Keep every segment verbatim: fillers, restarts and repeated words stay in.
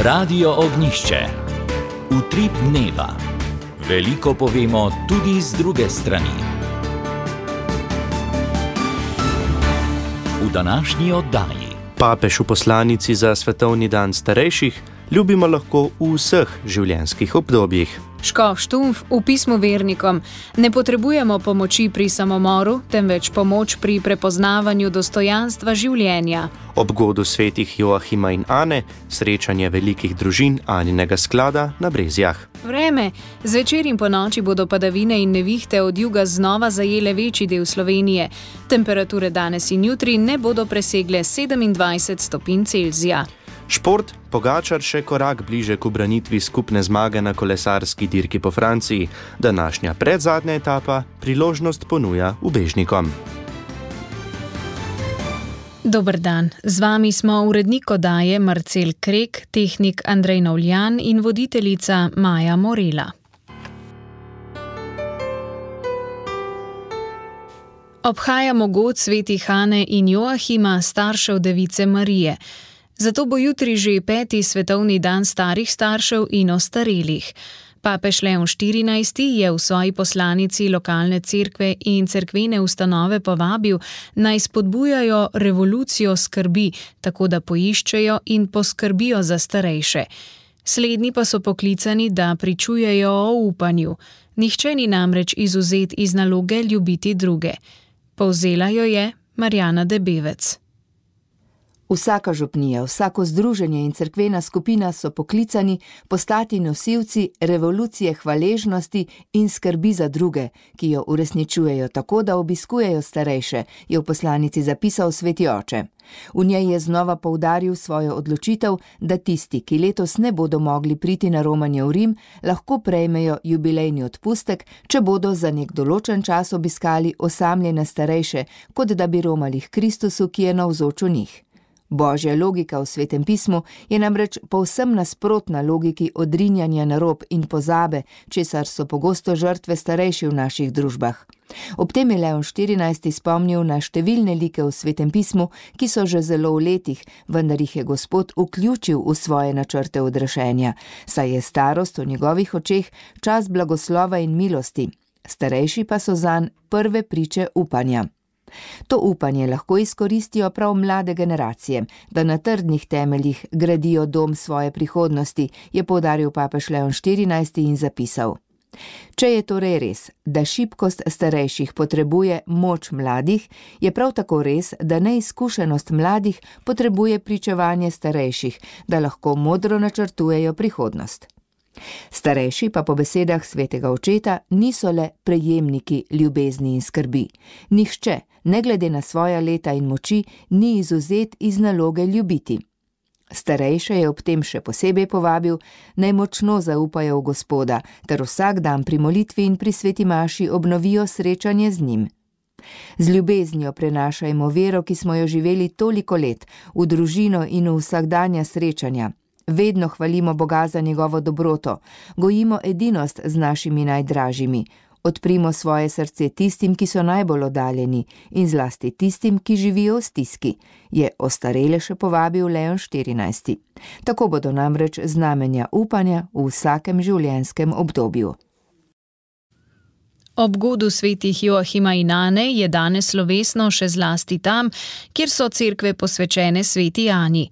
Radio Ognišče. Utrip dneva. Veliko povemo tudi z druge strani. V današnji oddaji. Papež v poslanici za svetovni dan starejših ljubimo lahko v vseh življenjskih obdobjih. Škof Štumpf v pismu vernikom: ne potrebujemo pomoči pri samomoru, temveč pomoč pri prepoznavanju dostojanstva življenja. Ob godu svetih Joachima in Ane, srečanje velikih družin Aninega sklada na Brezjah. Vreme. Zvečer in ponoči bodo padavine in nevihte od juga znova zajele večji del Slovenije. Temperature danes in jutri ne bodo presegle sedemindvajset stopinj Celzija. Šport, Pogačar še korak bliže k ubranitvi skupne zmage na kolesarski dirki po Franciji. Današnja predzadnja etapa priložnost ponuja ubežnikom. Dober dan, z vami smo urednik oddaje Marcel Krek, tehnik Andrej Novljan in voditeljica Maja Morela. Obhajamo god svetih Ane in Joachima, staršev device Marije. Zato bo jutri že peti svetovni dan starih staršev in ostarelih. Papež Leon štirinajsti je v svoji poslanici lokalne cerkve in cerkvene ustanove povabil, naj spodbujajo revolucijo skrbi, tako da poiščejo in poskrbijo za starejše. Slednji pa so poklicani, da pričujejo o upanju. Nihče ni namreč izvzet iz naloge ljubiti druge. Povzela jo je Marjana Debevec. Vsaka župnija, vsako združenje in cerkvena skupina so poklicani postati nosilci revolucije hvaležnosti in skrbi za druge, ki jo uresničujejo tako, da obiskujejo starejše, je v poslanici zapisal sveti oče. V njej je znova poudaril svojo odločitev, da tisti, ki letos ne bodo mogli priti na romanje v Rim, lahko prejmejo jubilejni odpustek, če bodo za nek določen čas obiskali osamljene starejše, kot da bi romali k Kristusu, ki je navzoč v njih. Božja logika v Svetem pismu je namreč povsem nasprotna logiki odrinjanja na rob in pozabe, česar so pogosto žrtve starejši v naših družbah. Ob tem je Leon štirinajsti spomnil na številne like v Svetem pismu, ki so že zelo v letih, vendar jih je Gospod vključil v svoje načrte odrešenja, saj je starost v njegovih očeh čas blagoslova in milosti, starejši pa so zanj prve priče upanja. To upanje lahko izkoristijo prav mlade generacije, da na trdnih temeljih gradijo dom svoje prihodnosti, je poudaril papež Leon štirinajsti in zapisal: če je torej res, da šibkost starejših potrebuje moč mladih, je prav tako res, da neizkušenost mladih potrebuje pričevanje starejših, da lahko modro načrtujejo prihodnost. Starejši pa po besedah svetega očeta niso le prejemniki ljubezni in skrbi. Nihče, ne glede na svoja leta in moči, ni izvzet iz naloge ljubiti. Starejše je ob tem še posebej povabil, naj močno zaupajo v Gospoda, ter vsak dan pri molitvi in pri sveti maši obnovijo srečanje z njim. Z ljubeznijo prenašajmo vero, ki smo jo živeli toliko let, v družino in v vsakdanja srečanja. Vedno hvalimo Boga za njegovo dobroto, gojimo edinost z našimi najdražjimi, odprimo svoje srce tistim, ki so najbolj oddaljeni in zlasti tistim, ki živijo v stiski, je ostarele še povabil Leon štirinajsti. Tako bodo namreč znamenja upanja v vsakem življenjskem obdobju. Ob godu svetih Joachima in Ane je danes slovesno še zlasti tam, kjer so cerkve posvečene sveti Ani.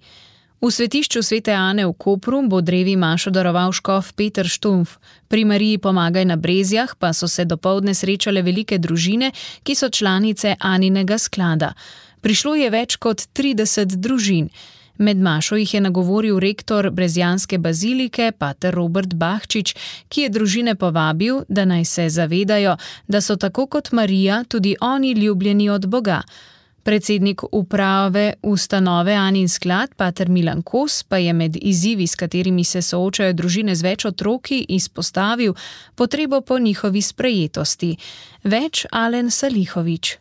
V svetišču svete Ane v Kopru bo drevi mašo daroval škof Peter Štumpf. Pri Mariji Pomagaj na Brezjah pa so se dopoldne srečale velike družine, ki so članice Aninega sklada. Prišlo je več kot trideset družin. Med mašo jih je nagovoril rektor brezjanske bazilike, pater Robert Bahčič, ki je družine povabil, da naj se zavedajo, da so tako kot Marija tudi oni ljubljeni od Boga. Predsednik uprave ustanove Anin sklad, pater Milan Kos, pa je med izzivi, s katerimi se soočajo družine z več otroki, izpostavil potrebo po njihovi sprejetosti. Več Alen Salihovič.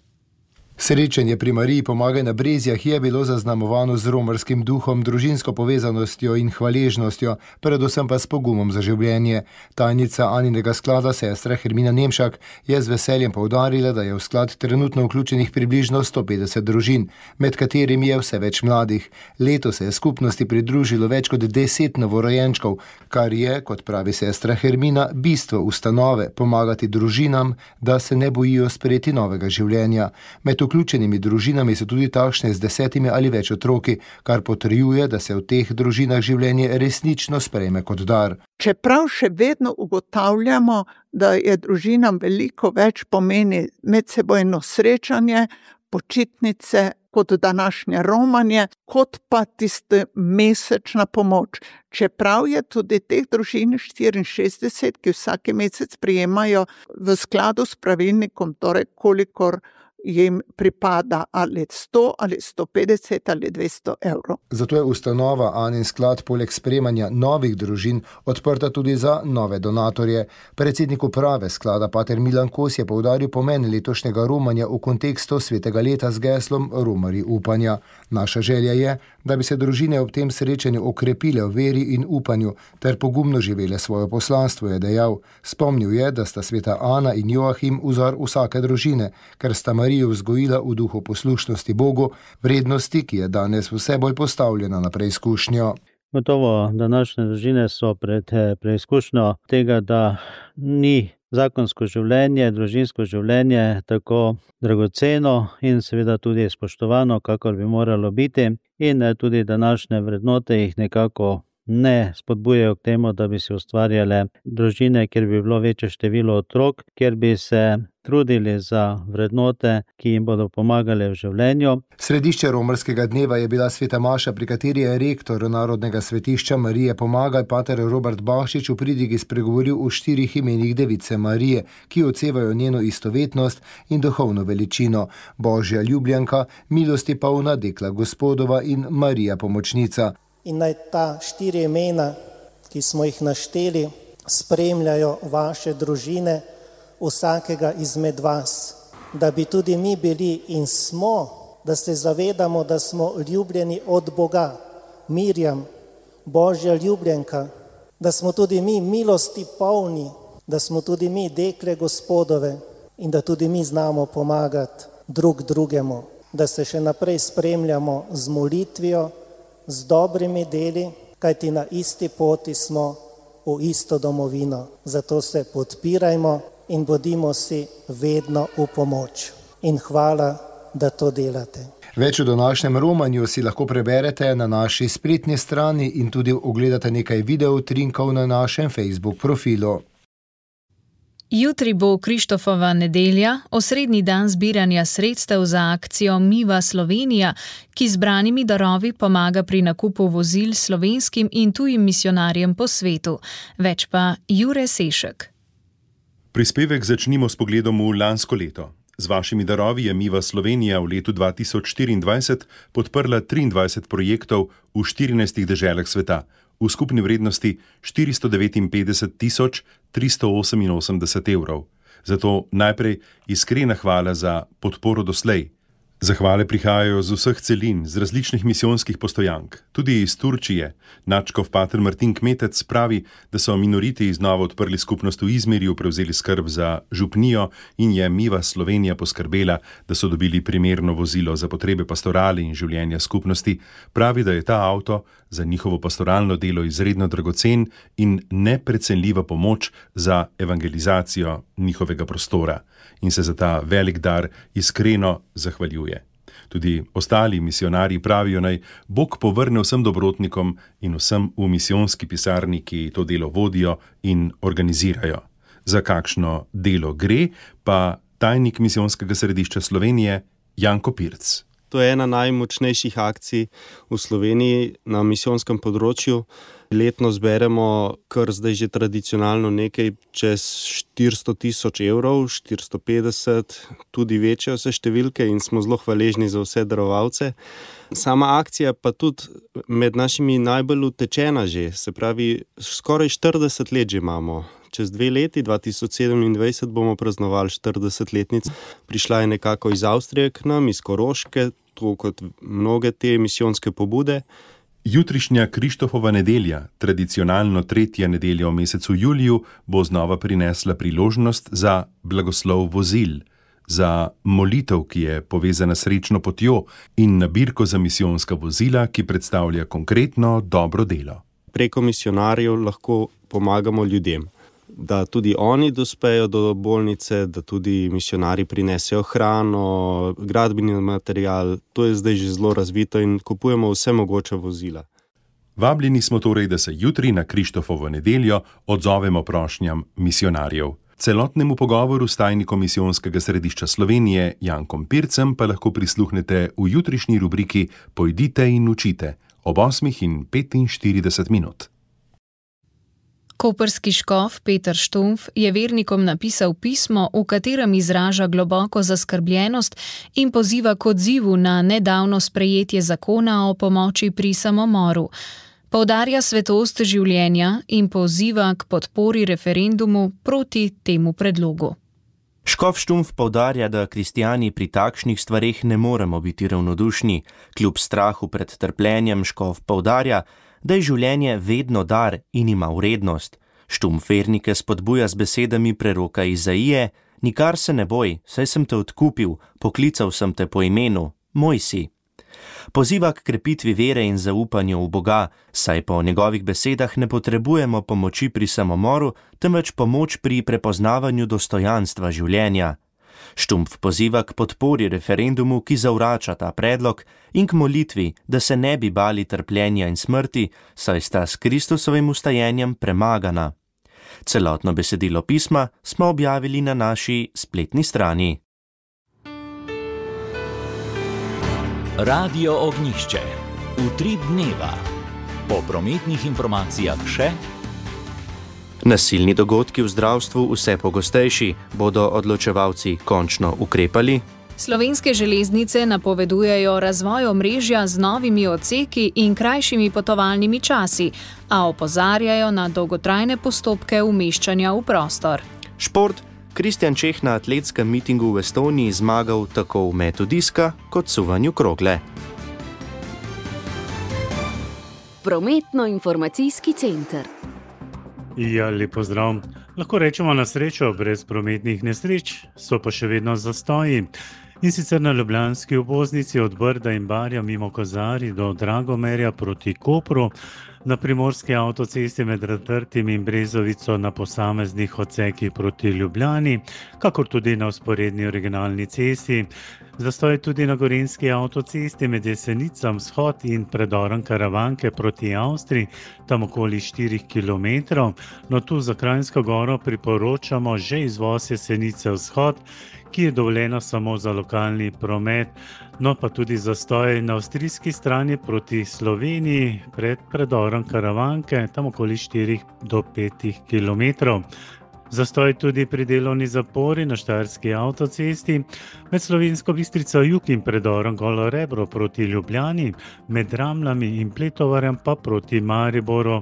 Srečanje pri Mariji Pomagaj na Brezjah je bilo zaznamovano z romarskim duhom, družinsko povezanostjo in hvaležnostjo, predvsem pa s pogumom za življenje. Tajnica Aninega sklada, sestra Hermina Nemšak, je z veseljem poudarila, da je v sklad trenutno vključenih približno sto petdeset družin, med katerimi je vse več mladih. Letos se je skupnosti pridružilo več kot deset novorojenčkov, kar je, kot pravi sestra Hermina, bistvo ustanove pomagati družinam, da se ne bojijo sprejeti novega življenja. Med vključenimi družinami so tudi takšne z desetimi ali več otroki, kar potrjuje, da se v teh družinah življenje resnično sprejme kot dar. Čeprav še vedno ugotavljamo, da je družinam veliko več pomeni medsebojno srečanje, počitnice, kot današnje romanje, kot pa tiste mesečna pomoč. Čeprav je tudi teh družin štiriinšestdeset, ki vsaki mesec prijemajo v skladu s pravilnikom, torej kolikor jim pripada, ali sto ali sto petdeset ali dvesto evrov. Zato je ustanova Anin sklad poleg sprejemanja novih družin odprta tudi za nove donatorje. Predsednik uprave sklada pater Milan Kos je poudaril pomen letošnjega romanja v kontekstu svetega leta z geslom Romarji upanja. Naša želja je, da bi se družine ob tem srečanju okrepile v veri in upanju ter pogumno živele svoje poslanstvo, je dejal. Spomnil je, da sta sveta Ana in Joachim vzor vsake družine, ker sta Marijo vzgojila v duhu poslušnosti Bogu, vrednosti, ki je danes vse bolj postavljena na preizkušnjo. Gotovo, današnje družine so pred preizkušnjo tega, da ni zakonsko življenje, družinsko življenje tako dragoceno in seveda tudi spoštovano, kakor bi moralo biti, in tudi današnje vrednote jih nekako ne spodbujajo k temu, da bi si ustvarjale družine, kjer bi bilo večje število otrok, kjer bi se trudili za vrednote, ki jim bodo pomagale v življenju. Središče romarskega dneva je bila sveta maša, pri kateri je rektor Narodnega svetišča Marije Pomagaj, pater Robert Bahšič, v pridigi spregovoril o štirih imenih Device Marije, ki odsevajo njeno istovetnost in duhovno veličino: Božja ljubljenka, milosti polna, dekla Gospodova in Marija pomočnica. In naj ta štiri imena, ki smo jih našteli, spremljajo vaše družine, vsakega izmed vas, da bi tudi mi bili in smo, da se zavedamo, da smo ljubljeni od Boga, Mirjam, Božja ljubljenka, da smo tudi mi milosti polni, da smo tudi mi dekle Gospodove in da tudi mi znamo pomagati drug drugemu, da se še naprej spremljamo z molitvijo, z dobrimi deli, kajti na isti poti smo v isto domovino. Zato se podpirajmo in bodimo si vedno v pomoč. In hvala, da to delate. Več o današnjem romanju si lahko preberete na naši spletni strani in tudi ogledate nekaj videoutrinkov na našem Facebook profilu. Jutri bo Krištofova nedelja, osrednji dan zbiranja sredstev za akcijo Miva Slovenija, ki zbranimi darovi pomaga pri nakupu vozil slovenskim in tujim misijonarjem po svetu. Več pa Jure Sešek. Prispevek začnimo s pogledom v lansko leto. Z vašimi darovi je Miva Slovenija v letu dva tisoč štiriindvajset podprla triindvajset projektov v štirinajstih deželah sveta, v skupni vrednosti štiristo devetinpetdeset tisoč tristo oseminosemdeset evrov. Zato najprej iskrena hvala za podporo doslej. Zahvale prihajajo z vseh celin, z različnih misijonskih postojank, tudi iz Turčije. Nadškof pater Martin Kmetec pravi, da so minoriti znova odprli skupnost v Izmirju, prevzeli skrb za župnijo in je Miva Slovenija poskrbela, da so dobili primerno vozilo za potrebe pastorali in življenja skupnosti. Pravi, da je ta avto za njihovo pastoralno delo izredno dragocen in neprecenljiva pomoč za evangelizacijo njihovega prostora. In se za ta velik dar iskreno zahvaljuje. Tudi ostali misijonarji pravijo, naj Bog povrne vsem dobrotnikom in vsem v misijonski pisarni, ki to delo vodijo in organizirajo. Za kakšno delo gre, pa tajnik misijonskega središča Slovenije Janko Pirc. To je ena najmočnejših akcij v Sloveniji na misijonskem področju. Letno zberemo kar zdaj že tradicionalno nekaj čez štiristo tisoč evrov, štiristo petdeset, tudi večje vse številke in smo zelo hvaležni za vse darovalce. Sama akcija pa tudi med našimi najbolj utečena že, se pravi, skoraj štirideset let že imamo. Čez dve leti, dva tisoč sedemindvajset, bomo praznovali štiridesetletnico. Prišla je nekako iz Avstrije k nam, iz Koroške, to kot mnoge te misijonske pobude. Jutrišnja Krištofova nedelja, tradicionalno tretja nedelja v mesecu juliju, bo znova prinesla priložnost za blagoslov vozil, za molitev, ki je povezana s srečno potjo, in nabirko za misijonska vozila, ki predstavlja konkretno dobro delo. Preko misionarjev lahko pomagamo ljudem, da tudi oni dospejo do bolnice, da tudi misionarji prinesejo hrano, gradbeni material. To je zdaj že zelo razvito in kupujemo vse mogoče vozila. Vabljeni smo torej, da se jutri na Krištofovo nedeljo odzovemo prošnjam misionarjev. Celotnemu pogovoru s tajnikom Misijonskega središča Slovenije Jankom Pircem pa lahko prisluhnete v jutrišnji rubriki Pojdite in učite ob osmih in petinštirideset minut. Koprski škof Peter Štumpf je vernikom napisal pismo, v katerem izraža globoko zaskrbljenost in poziva k odzivu na nedavno sprejetje zakona o pomoči pri samomoru. Poudarja svetost življenja in poziva k podpori referendumu proti temu predlogu. Škof Štumpf poudarja, da kristijani pri takšnih stvareh ne moremo biti ravnodušni. Kljub strahu pred trpljenjem škof poudarja, da je življenje vedno dar in ima vrednost. Štumpf vernike spodbuja z besedami preroka Izaije: nikar se ne boj, saj sem te odkupil, poklical sem te po imenu, moj si. Poziva k krepitvi vere in zaupanju v Boga, saj po njegovih besedah ne potrebujemo pomoči pri samomoru, temveč pomoč pri prepoznavanju dostojanstva življenja. Štumpf poziva k podpori referendumu, ki zavrača ta predlog, in k molitvi, da se ne bi bali trpljenja in smrti, saj sta s Kristusovim ustajenjem premagana. Celotno besedilo pisma smo objavili na naši spletni strani. Radio Ognjišče. Utrip dneva. Po prometnih informacijah še: nasilni dogodki v zdravstvu vse pogostejši, bodo odločevalci končno ukrepali? Slovenske železnice napovedujejo razvoj omrežja z novimi odseki in krajšimi potovalnimi časi, a opozarjajo na dolgotrajne postopke umeščanja v prostor. Šport. Kristjan Čeh na atletskem mitingu v Estoniji zmagal tako v metu diska kot suvanju krogle. Prometno-informacijski center. Ja, lep pozdrav. Lahko rečemo na srečo, brez prometnih nesreč so pa še vedno zastoji. In sicer na ljubljanski obvoznici od Brda in Barja mimo Kozarij do Dragomerja proti Kopru, na primorski avtocesti med Ratrtim in Brezovico na posameznih odsekih proti Ljubljani, kakor tudi na vzporedni regionalni cesti. Zastoj tudi na gorenjski avtocesti med Jesenicam vzhod in predorom Karavanke proti Avstriji, tam okoli štirih kilometrov. No, tu za Kranjsko goro priporočamo že izvoz Jesenice vzhod, ki je dovoljeno samo za lokalni promet, no pa tudi zastoj na avstrijski strani proti Sloveniji pred predorom Karavanke, tam okoli štirih do petih kilometrov. Zastoj tudi pri delovni zapori na štajerski avtocesti med Slovensko Bistrico jug in predorom Golo Rebro proti Ljubljani, med Ramljami in Pletovarjem pa proti Mariboru.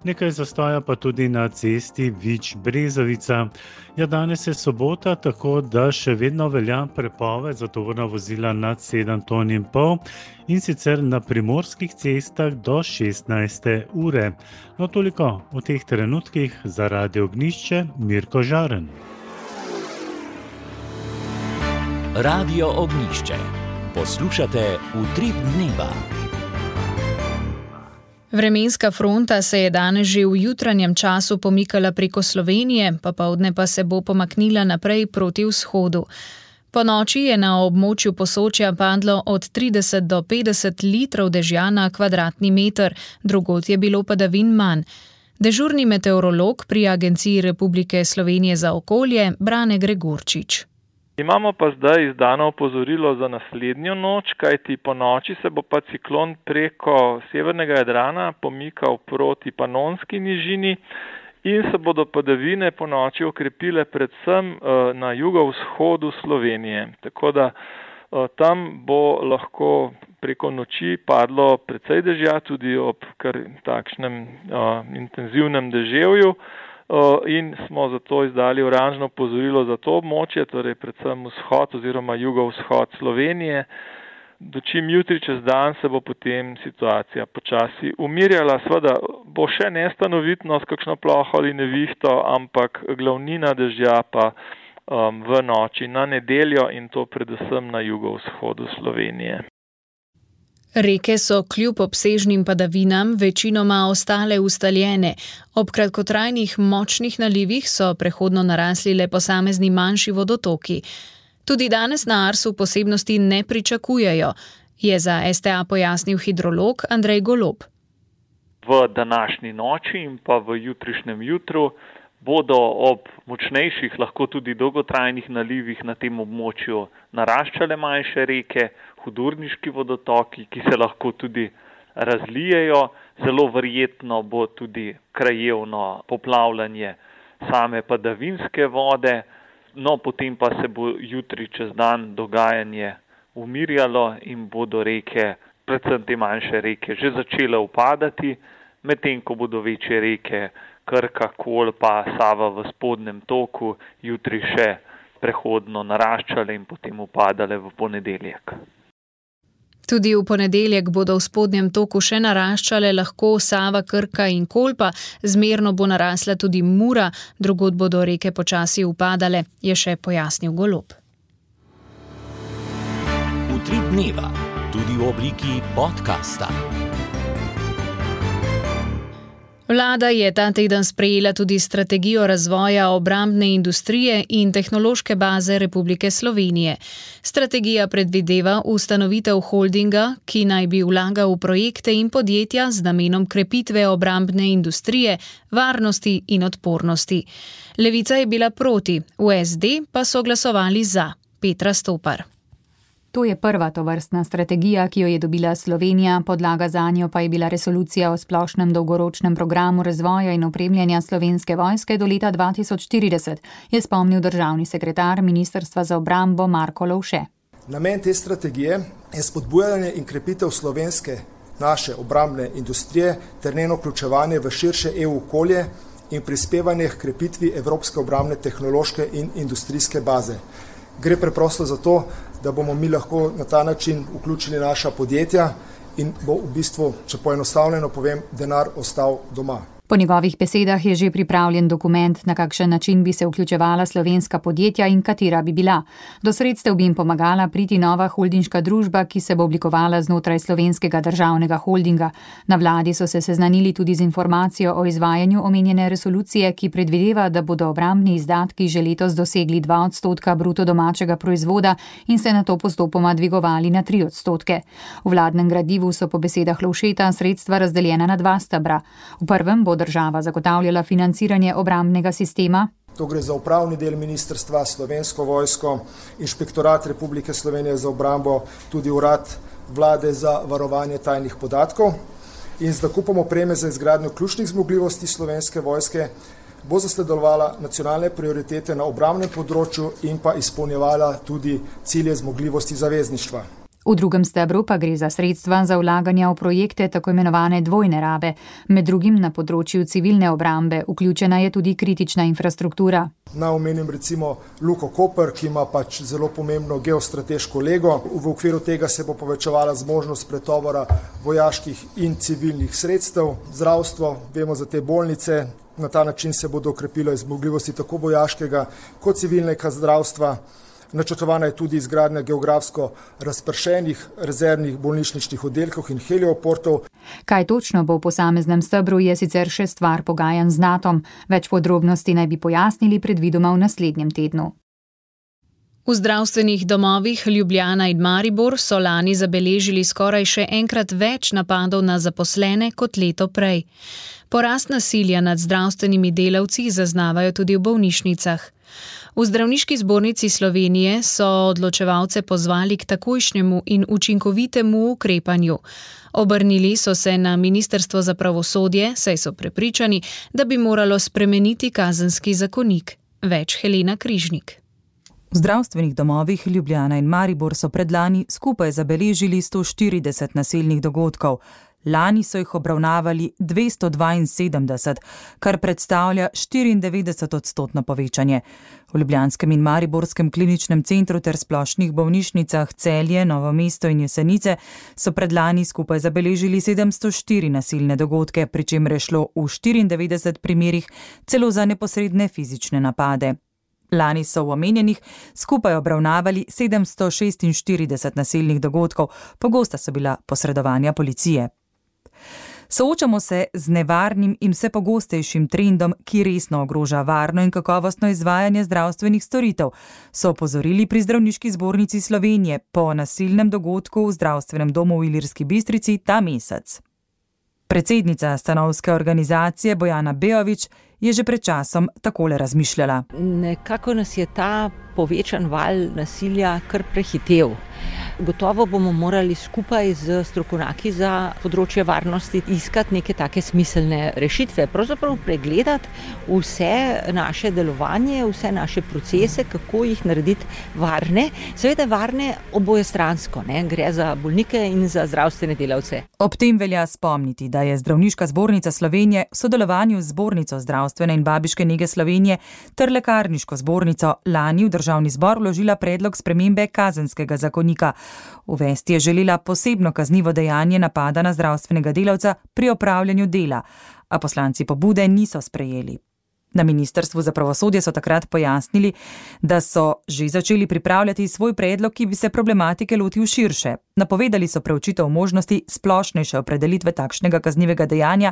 Nekaj zastoja pa tudi na cesti Vič-Brezovica. Ja, danes je sobota, tako da še vedno velja prepoved za tovorna vozila nad sedem ton in pol in sicer na primorskih cestah do šestnajste ure. No, toliko v teh trenutkih. Za Radio Ognjišče, Mirko Žaren. Radio Ognjišče. Poslušate Utrip dneva. Vremenska fronta se je danes že v jutranjem času pomikala preko Slovenije, popoldne pa se bo pomaknila naprej proti vzhodu. Po noči je na območju Posočja padlo od trideset do petdeset litrov dežja na kvadratni meter, drugod je bilo padavin manj. Dežurni meteorolog pri Agenciji Republike Slovenije za okolje Brane Gregorčič. Imamo pa zdaj izdano opozorilo za naslednjo noč, kajti po noči se bo pa ciklon preko severnega Jadrana pomikal proti Panonski nižini in se bodo padavine po noči okrepile predvsem na jugovzhodu Slovenije. Tako da tam bo lahko preko noči padlo precej dežja, tudi ob kar takšnem intenzivnem deževju. In smo zato izdali oranžno opozorilo za to območje, torej predvsem vzhod oziroma jugovzhod Slovenije. Dočim jutri čez dan se bo potem situacija počasi umirjala. Seveda bo še nestanovitnost, kakšno ploho ali nevihto, ampak glavnina dežja pa um, v noči na nedeljo in to predvsem na jugovzhodu Slovenije. Reke so kljub obsežnim padavinam večinoma ostale ustaljene. Ob kratkotrajnih močnih nalivih so prehodno narasli le posamezni manjši vodotoki. Tudi danes na Arsu posebnosti ne pričakujejo, je za S T A pojasnil hidrolog Andrej Golob. V današnji noči in pa v jutrišnjem jutru bodo ob močnejših, lahko tudi dolgotrajnih nalivih na tem območju naraščale manjše reke, hudurniški vodotoki, ki se lahko tudi razlijejo. Zelo verjetno bo tudi krajevno poplavljanje same padavinske vode, no potem pa se bo jutri čez dan dogajanje umirjalo in bodo reke, predvsem te manjše reke, že začele upadati, medtem ko bodo večje reke Krka, Kolpa, Sava v spodnjem toku jutri še prehodno naraščale in potem upadale v ponedeljek. Tudi v ponedeljek bodo v spodnjem toku še naraščale lahko Sava, Krka in Kolpa, zmerno bo narasla tudi Mura, drugod bodo reke počasi upadale, je še pojasnil Golob. Utrip dneva, tudi v obliki podcasta. Vlada je ta teden sprejela tudi strategijo razvoja obrambne industrije in tehnološke baze Republike Slovenije. Strategija predvideva ustanovitev holdinga, ki naj bi vlagal v projekte in podjetja z namenom krepitve obrambne industrije, varnosti in odpornosti. Levica je bila proti, v S D pa so glasovali za. Petra Stopar. To je prva tovrstna strategija, ki jo je dobila Slovenija, podlaga zanjo pa je bila resolucija o splošnem dolgoročnem programu razvoja in opremljanja Slovenske vojske do leta dva tisoč štirideset, je spomnil državni sekretar Ministrstva za obrambo Marko Lovše. Namen te strategije je spodbujanje in krepitev slovenske naše obrambne industrije ter njeno vključevanje v širše E U okolje in prispevanje k krepitvi evropske obrambne tehnološke in industrijske baze. Gre preprosto za to, da bomo mi lahko na ta način vključili naša podjetja in bo v bistvu, če poenostavljeno povem, denar ostal doma. Po njegovih besedah je že pripravljen dokument, na kakšen način bi se vključevala slovenska podjetja in katera bi bila. Do sredstev bi jim pomagala priti nova holdinška družba, ki se bo oblikovala znotraj slovenskega državnega holdinga. Na vladi so se seznanili tudi z informacijo o izvajanju omenjene resolucije, ki predvideva, da bodo obrambni izdatki že letos dosegli dva odstotka bruto domačega proizvoda in se nato postopoma dvigovali na tri odstotke. V vladnem gradivu so po besedah Lovšeta sredstva razdeljena na dva stebra. V prvem bo država zagotavljala financiranje obrambnega sistema. To gre za upravni del ministrstva, Slovensko vojsko, Inšpektorat Republike Slovenije za obrambo, tudi urad vlade za varovanje tajnih podatkov. In z nakupom opreme za izgradnjo ključnih zmogljivosti Slovenske vojske bo zasledovala nacionalne prioritete na obrambnem področju in pa izpolnjevala tudi cilje zmogljivosti zavezništva. V drugem stebru pa gre za sredstva za vlaganja v projekte tako imenovane dvojne rabe. Med drugim na področju civilne obrambe vključena je tudi kritična infrastruktura. Na omenim recimo Luko Koper, ki ima pač zelo pomembno geostrateško lego. V okviru tega se bo povečevala zmožnost pretovora vojaških in civilnih sredstev. Zdravstvo, vemo za te bolnice, na ta način se bodo okrepile zmogljivosti tako vojaškega kot civilnega zdravstva. Načrtovana je tudi izgradnja geografsko razpršenih rezervnih bolnišničnih oddelkov in helioportov. Kaj točno bo v posameznem stebru, je sicer še stvar pogajanj z Natom. Več podrobnosti naj bi pojasnili predvidoma v naslednjem tednu. V zdravstvenih domovih Ljubljana in Maribor so lani zabeležili skoraj še enkrat več napadov na zaposlene kot leto prej. Porast nasilja nad zdravstvenimi delavci zaznavajo tudi v bolnišnicah. V Zdravniški zbornici Slovenije so odločevalce pozvali k takojšnjemu in učinkovitemu ukrepanju. Obrnili so se na Ministrstvo za pravosodje, saj so prepričani, da bi moralo spremeniti kazenski zakonik. Več Helena Križnik. V zdravstvenih domovih Ljubljana in Maribor so predlani skupaj zabeležili sto štirideset nasilnih dogodkov. Lani so jih obravnavali dvesto dvainsedemdeset, kar predstavlja štiriindevetdeset odstotno povečanje. V ljubljanskem in mariborskem kliničnem centru ter splošnih bolnišnicah Celje, Novo mesto in Jesenice so predlani skupaj zabeležili sedemsto štiri nasilne dogodke, pri čemer je šlo v štiriindevetdeset primerih celo za neposredne fizične napade. Lani so v omenjenih skupaj obravnavali sedemsto šestinštirideset nasilnih dogodkov, pogosta so bila posredovanja policije. Soočamo se z nevarnim in vse pogostejšim trendom, ki resno ogroža varno in kakovostno izvajanje zdravstvenih storitev, so opozorili pri Zdravniški zbornici Slovenije po nasilnem dogodku v zdravstvenem domu v Ilirski Bistrici ta mesec. Predsednica stanovske organizacije Bojana Bejović je že pred časom takole razmišljala. Nekako nas je ta povečan val nasilja kar prehitel. Gotovo bomo morali skupaj z strokovnjaki za področje varnosti iskati neke take smiselne rešitve, pravzaprav pregledati vse naše delovanje, vse naše procese, kako jih narediti varne, seveda varne obojestransko, ne? Gre za bolnike in za zdravstvene delavce. Ob tem velja spomniti, da je Zdravniška zbornica Slovenije v sodelovanju z Zbornico zdravstvene in babiške nege Slovenije ter Lekarniško zbornico lani v Državni zbor vložila predlog spremembe kazenskega zakonika. Uvesti je želela posebno kaznivo dejanje napada na zdravstvenega delavca pri opravljanju dela, a poslanci pobude niso sprejeli. Na Ministrstvu za pravosodje so takrat pojasnili, da so že začeli pripravljati svoj predlog, ki bi se problematike lotil širše. Napovedali so preučitev možnosti splošnejše opredelitve takšnega kaznivega dejanja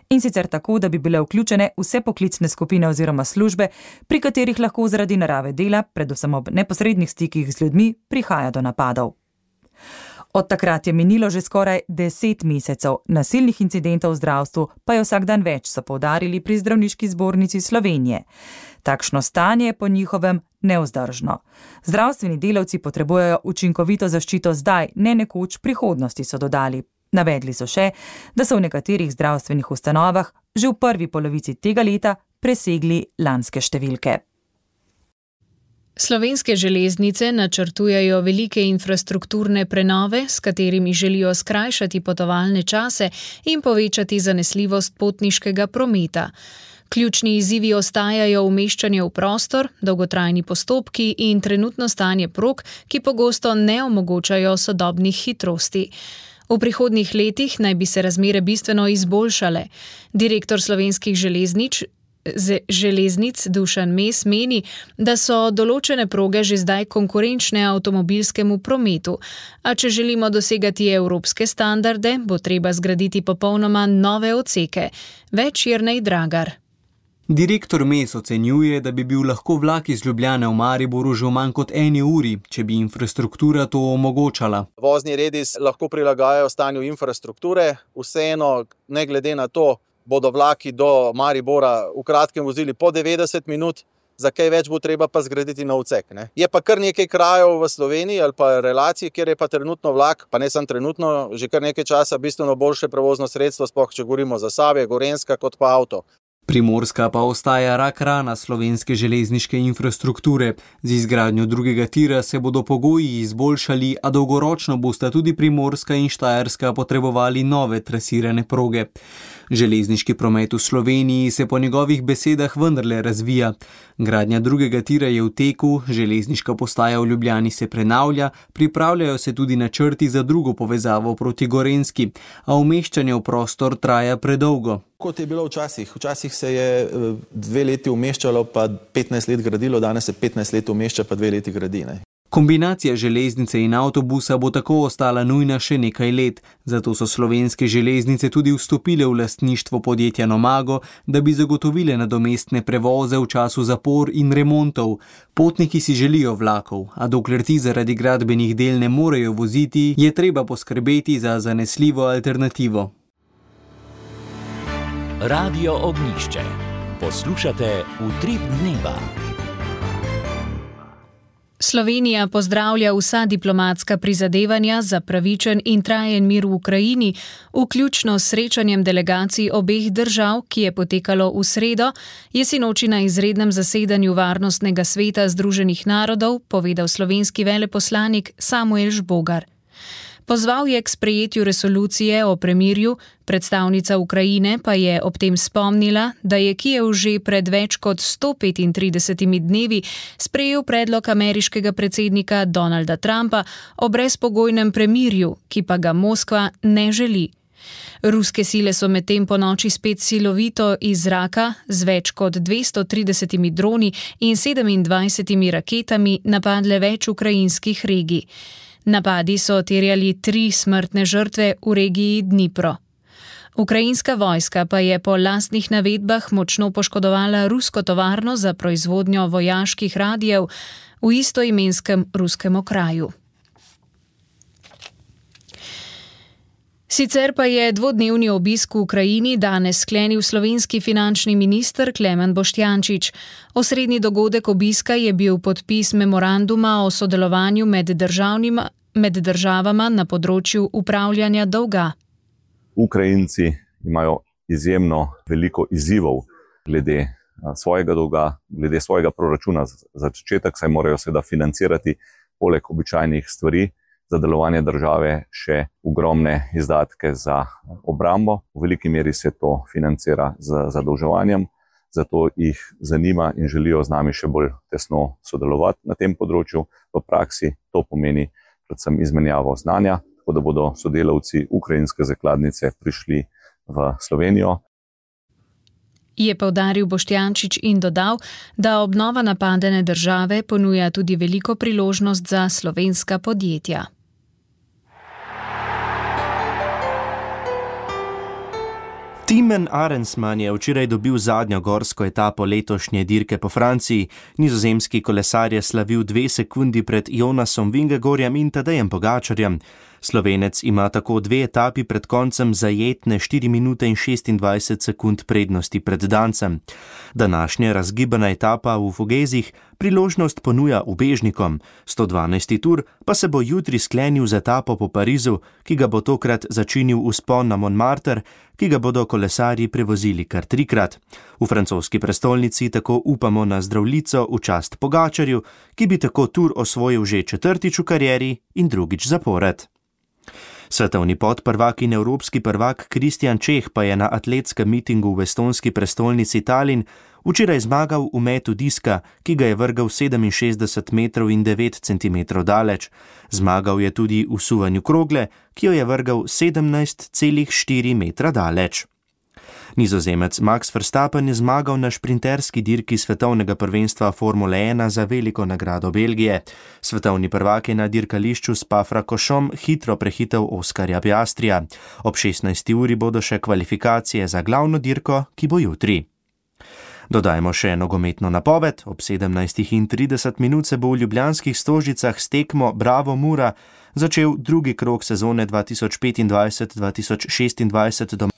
in sicer tako, da bi bile vključene vse poklicne skupine oziroma službe, pri katerih lahko zaradi narave dela, predvsem ob neposrednih stikih z ljudmi, prihaja do napadov. Od takrat je minilo že skoraj deset mesecev, nasilnih incidentov v zdravstvu pa je vsak dan več, so poudarili pri Zdravniški zbornici Slovenije. Takšno stanje je po njihovem nevzdržno. Zdravstveni delavci potrebujejo učinkovito zaščito zdaj, ne nekoč prihodnosti, so dodali. Navedli so še, da so v nekaterih zdravstvenih ustanovah že v prvi polovici tega leta presegli lanske številke. Slovenske železnice načrtujejo velike infrastrukturne prenove, s katerimi želijo skrajšati potovalne čase in povečati zanesljivost potniškega prometa. Ključni izzivi ostajajo umeščanje v prostor, dolgotrajni postopki in trenutno stanje prog, ki pogosto ne omogočajo sodobnih hitrosti. V prihodnjih letih naj bi se razmere bistveno izboljšale. Direktor Slovenskih železnic železnic Dušan Mes meni, da so določene proge že zdaj konkurenčne avtomobilskemu prometu, a če želimo dosegati evropske standarde, bo treba zgraditi popolnoma nove odseke. Več Jernej Dragar. Direktor Mes ocenjuje, da bi bil lahko vlak iz Ljubljane v Mariboru že v manj kot eni uri, če bi infrastruktura to omogočala. Vozni redi lahko prilagajajo stanju infrastrukture, vseeno ne glede na to, bodo vlaki do Maribora v kratkem vozili po devetdeset minut, za kaj več bo treba pa zgraditi na odsek. Ne? Je pa kar nekaj krajev v Sloveniji ali pa relacij, kjer je pa trenutno vlak, pa ne samo trenutno, že kar nekaj časa bistveno boljše prevozno sredstvo, sploh če govorimo za Zasavje, Gorenjska kot pa avto. Primorska pa ostaja rak rana slovenske železniške infrastrukture. Z izgradnjo drugega tira se bodo pogoji izboljšali, a dolgoročno bosta tudi Primorska in Štajerska potrebovali nove trasirane proge. Železniški promet v Sloveniji se po njegovih besedah vendarle razvija. Gradnja drugega tira je v teku, železniška postaja v Ljubljani se prenavlja, pripravljajo se tudi načrti za drugo povezavo proti Gorenjski, a umeščanje v prostor traja predolgo. Kot je bilo včasih. Včasih se je dve leti umeščalo, pa petnajst let gradilo, danes se petnajst let umešča, pa dve leti gradi. Ne? Kombinacija železnice in avtobusa bo tako ostala nujna še nekaj let, zato so Slovenske železnice tudi vstopile v lastništvo podjetja Nomago, da bi zagotovile nadomestne prevoze v času zapor in remontov. Potniki si želijo vlakov, a dokler ti zaradi gradbenih del ne morejo voziti, je treba poskrbeti za zanesljivo alternativo. Radio Ognjišče. Poslušate Utrip dneva. Slovenija pozdravlja vsa diplomatska prizadevanja za pravičen in trajen mir v Ukrajini, vključno s srečanjem delegacij obeh držav, ki je potekalo v sredo, je sinoči na izrednem zasedanju Varnostnega sveta Združenih narodov povedal slovenski veleposlanik Samuel Žbogar. Pozval je k sprejetju resolucije o premirju, predstavnica Ukrajine pa je ob tem spomnila, da je Kijev že pred več kot sto petintridesetimi dnevi sprejel predlog ameriškega predsednika Donalda Trumpa o brezpogojnem premirju, ki pa ga Moskva ne želi. Ruske sile so medtem ponoči spet silovito iz zraka z več kot dvesto tridesetimi droni in sedemindvajsetimi raketami napadle več ukrajinskih regij. Napadi so terjali tri smrtne žrtve v regiji Dnipro. Ukrajinska vojska pa je po lastnih navedbah močno poškodovala rusko tovarno za proizvodnjo vojaških radijev v istoimenskem ruskem okraju. Sicer pa je dvodnevni obisk v Ukrajini danes sklenil slovenski finančni minister Klemen Boštjančič. Osrednji dogodek obiska je bil podpis memoranduma o sodelovanju med, med državama na področju upravljanja dolga. Ukrajinci imajo izjemno veliko izzivov glede svojega dolga, glede svojega proračuna za začetek, saj morajo seveda financirati poleg običajnih stvari za delovanje države še ogromne izdatke za obrambo. V veliki meri se to financira z zadolževanjem, zato jih zanima in želijo z nami še bolj tesno sodelovati na tem področju. V praksi to pomeni predvsem izmenjavo znanja, tako da bodo sodelavci ukrajinske zakladnice prišli v Slovenijo. Je poudaril Boštjančič in dodal, da obnova napadene države ponuja tudi veliko priložnost za slovenska podjetja. Timen Arensman je včeraj dobil zadnjo gorsko etapo letošnje dirke po Franciji. Nizozemski kolesar je slavil dve sekundi pred Jonasom Vingegorjem in Tadejem Pogačarjem. Slovenec ima tako dve etapi pred koncem zajetne štiri minute in šestindvajset sekund prednosti pred Dancem. Današnja razgibana etapa v Fogezih priložnost ponuja ubežnikom. sto dvanajsti tur pa se bo jutri sklenil z etapo po Parizu, ki ga bo tokrat začinil vzpon na Montmartre, ki ga bodo kolesarji prevozili kar trikrat. V francoski prestolnici tako upamo na zdravljico v čast Pogačarju, ki bi tako tur osvojil že četrtič v karieri in drugič zapored. Svetovni podprvak in evropski prvak Kristjan Čeh pa je na atletskem mitingu v estonski prestolnici Tallinn včeraj zmagal v metu diska, ki ga je vrgal sedeminšestdeset metrov in devet centimetrov daleč. Zmagal je tudi v suvanju krogle, ki jo je vrgal sedemnajst celih štiri metra daleč. Nizozemec Max Verstappen je zmagal na šprinterski dirki svetovnega prvenstva Formule ena za veliko nagrado Belgije. Svetovni prvak je na dirkališču Spa-Francorchamps hitro prehitel Oskarja Piastrija. Ob šestnajsti uri bodo še kvalifikacije za glavno dirko, ki bo jutri. Dodajmo še nogometno napoved. Ob sedemnajstih in trideset minut se bo v ljubljanskih Stožicah s tekmo Bravo Mura začel drugi krog sezone dva tisoč petindvajset dva tisoč šestindvajset do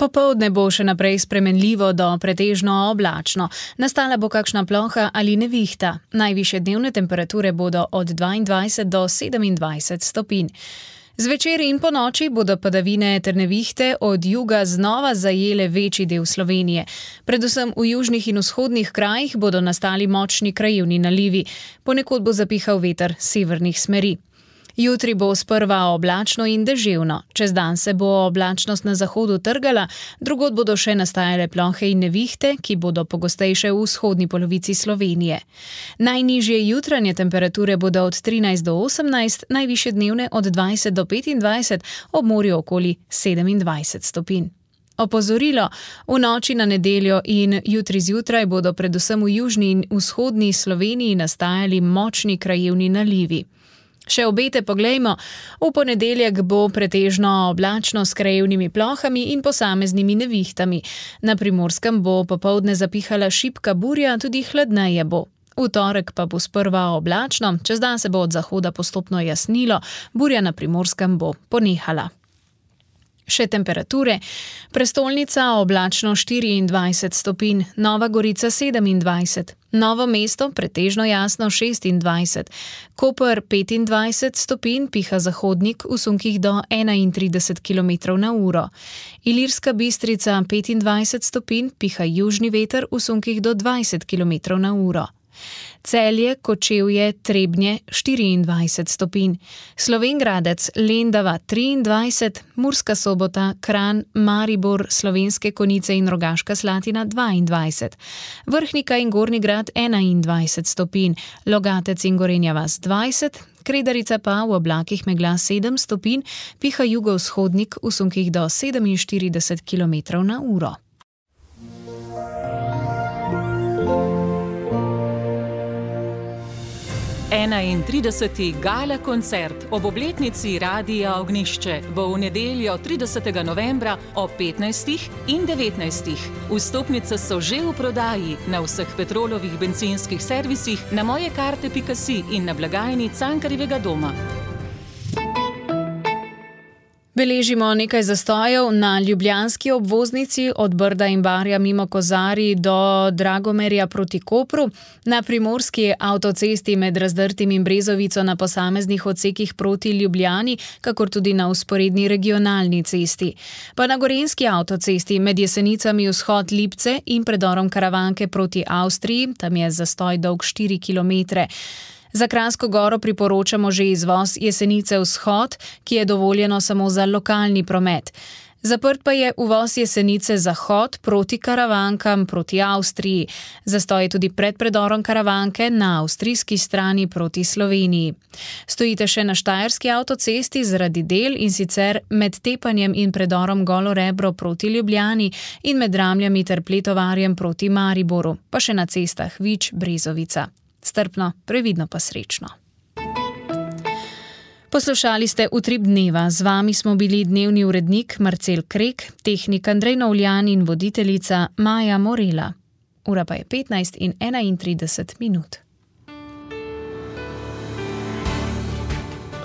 Popoldne bo še naprej spremenljivo do pretežno oblačno. Nastala bo kakšna ploha ali nevihta. Najvišje dnevne temperature bodo od dvaindvajset do sedemindvajset stopinj. Zvečer in po noči bodo padavine ter nevihte od juga znova zajele večji del Slovenije. Predvsem v južnih in vzhodnih krajih bodo nastali močni krajevni nalivi. Ponekod bo zapihal veter severnih smeri. Jutri bo sprva oblačno in deževno. Čez dan se bo oblačnost na zahodu trgala, drugod bodo še nastajale plohe in nevihte, ki bodo pogostejše v vzhodni polovici Slovenije. Najnižje jutranje temperature bodo od trinajst do osemnajst, najvišje dnevne od dvajset do petindvajset, ob morju okoli sedemindvajset stopinj. Opozorilo, v noči na nedeljo in jutri zjutraj bodo predvsem v južni in vzhodni Sloveniji nastajali močni krajevni nalivi. Še obete poglejmo, v ponedeljek bo pretežno oblačno s krajevnimi plohami in posameznimi nevihtami. Na Primorskem bo popoldne zapihala šibka burja, tudi hladneje bo. V torek pa bo sprva oblačno, čez dan se bo od zahoda postopno jasnilo, burja na Primorskem bo ponehala. Še temperature. Prestolnica oblačno štiriindvajset stopinj, Nova Gorica sedemindvajset, Novo mesto pretežno jasno šestindvajset, Koper petindvajset stopinj, piha zahodnik v sunkih do enaintrideset kilometrov na uro. Ilirska Bistrica petindvajset stopinj, piha južni veter v sunkih do dvajset kilometrov na uro. Celje, Kočevje, Trebnje štiriindvajset stopinj, Slovenj Gradec, Lendava triindvajset, Murska Sobota, Kranj, Maribor, Slovenske Konjice in Rogaška Slatina dvaindvajset, Vrhnika in Gornji Grad enaindvajset stopinj, Logatec in Gorenja vas dvajset, Kredarica pa v oblakih megla sedem stopinj, piha jugovzhodnik v sunkih do sedeminštirideset kilometrov na uro. enaintrideseti gala koncert ob obletnici Radia Ognjišče bo v nedeljo tridesetega novembra ob petnajstih in devetnajstih. Vstopnice so že v prodaji na vseh Petrolovih bencinskih servisih, na mojekarte pika si in na blagajni Cankarjevega doma. Beležimo nekaj zastojev na ljubljanski obvoznici od Brda in Barja mimo Kozarij do Dragomerja proti Kopru, na primorski avtocesti med Razdrtim in Brezovico na posameznih odsekih proti Ljubljani, kakor tudi na vzporedni regionalni cesti. Pa na gorenjski avtocesti med Jesenicami vzhod Lipce in predorom Karavanke proti Avstriji, tam je zastoj dolg štiri kilometre. Za Kranjsko Goro priporočamo že izvoz Jesenice vzhod, ki je dovoljeno samo za lokalni promet. Zaprt pa je uvoz Jesenice zahod proti Karavankam proti Avstriji. Zastoj je tudi pred predorom Karavanke na avstrijski strani proti Sloveniji. Stojite še na štajerski avtocesti zaradi del, in sicer med Tepanjem in predorom Golo Rebro proti Ljubljani in med Ramljami ter Pletovarjem proti Mariboru, pa še na cestah Vič, Brezovica. Strpno, previdno pa srečno. Poslušali ste Utrip dneva, z vami smo bili dnevni urednik Marcel Krek, tehnik Andrej Novljan in voditeljica Maja Morela. Ura pa je petnajst in enaintrideset minut.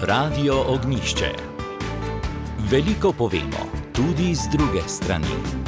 Radio Ognjišče. Veliko povemo, tudi z druge strani.